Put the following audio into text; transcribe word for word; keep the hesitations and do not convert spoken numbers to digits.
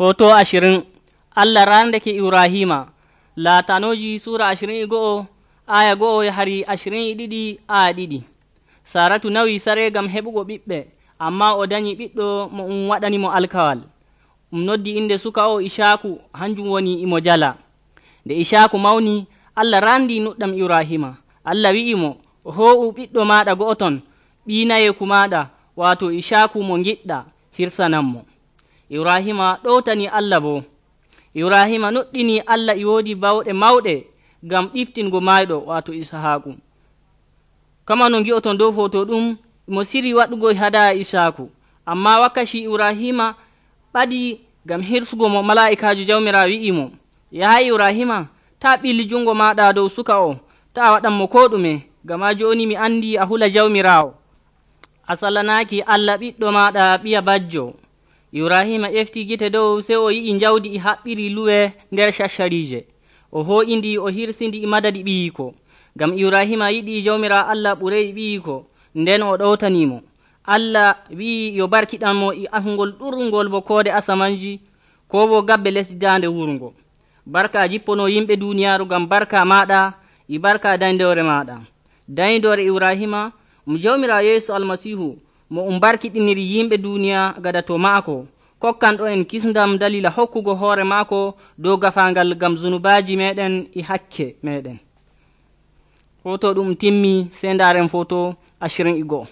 Foto ashirin Allah randake Ibrahima laatanoji sura ashirin e go'o aya go'o yahari ashirin e ɗiɗi aya ɗiɗi. Saratu nawi sare gam heɓugo ɓiɓɓe, amma o dañi ɓiɗɗo mo um waɗanimo alkawal. Um noddi inde suka o Ishaku, hanjum woni imo jala. Nde Ishaku mawni, Allah randi nuɗɗam Ibrahima. Allah wi'imo, ho'u ɓiɗɗo maɗa go'oton, ɓiinayeku maɗa, wato Ishaku mo giɗɗa, hirsananmo. Ibrahima ɗowtani Allah bo. Ibrahima nuɗɗini Allah e woodi bawɗe mawɗe gam ɗiftingo mayɗo, wato Isahaku. Kama no gi'oton dow foto ɗum, mo siri waɗugo hadaya Ishaku, amma wakkati Ibrahima ɓadi gam hirsugo mo, mala'ikajo jawmirawo wi'imo, yaha Ibrahima, ta ɓili jungo maɗa dow suka o, ta waɗanmo ko ɗume, gama joni mi andi a hula jawmirawo, a salanaki Allah ɓiɗɗo maɗa ɓiya bajjo. Ibrahima ƴefti gite dow, sey o yi'i jawdi e haɓɓiri luwe nder shasharije, o ho'indi o hirsindi e madadi ɓiyiko, gam Ibrahima yiɗi jawmira Allah ɓurey ɓiyiko, nden o ɗowtanimo. Allah wi'i yo barkiɗanmo e asngol ɗurngol bo koode asamanji, ko bo gabbe lesdi dande wurgo. Barka jippono yimɓe duniyaru gam barka maɗa e barka dayndore maɗa. Dayndore Ibrahima mo jawmira Yeesu almasihu mo um barkiɗiniri yimɓe duniya gadato maako, kokkanɗo en kisndam dalila hokkugo hoore maako dow gafangal gam zunubaji meɗen e hakke meɗen. Foto ɗum timmi, sey ndaren foto ashirin e go'o.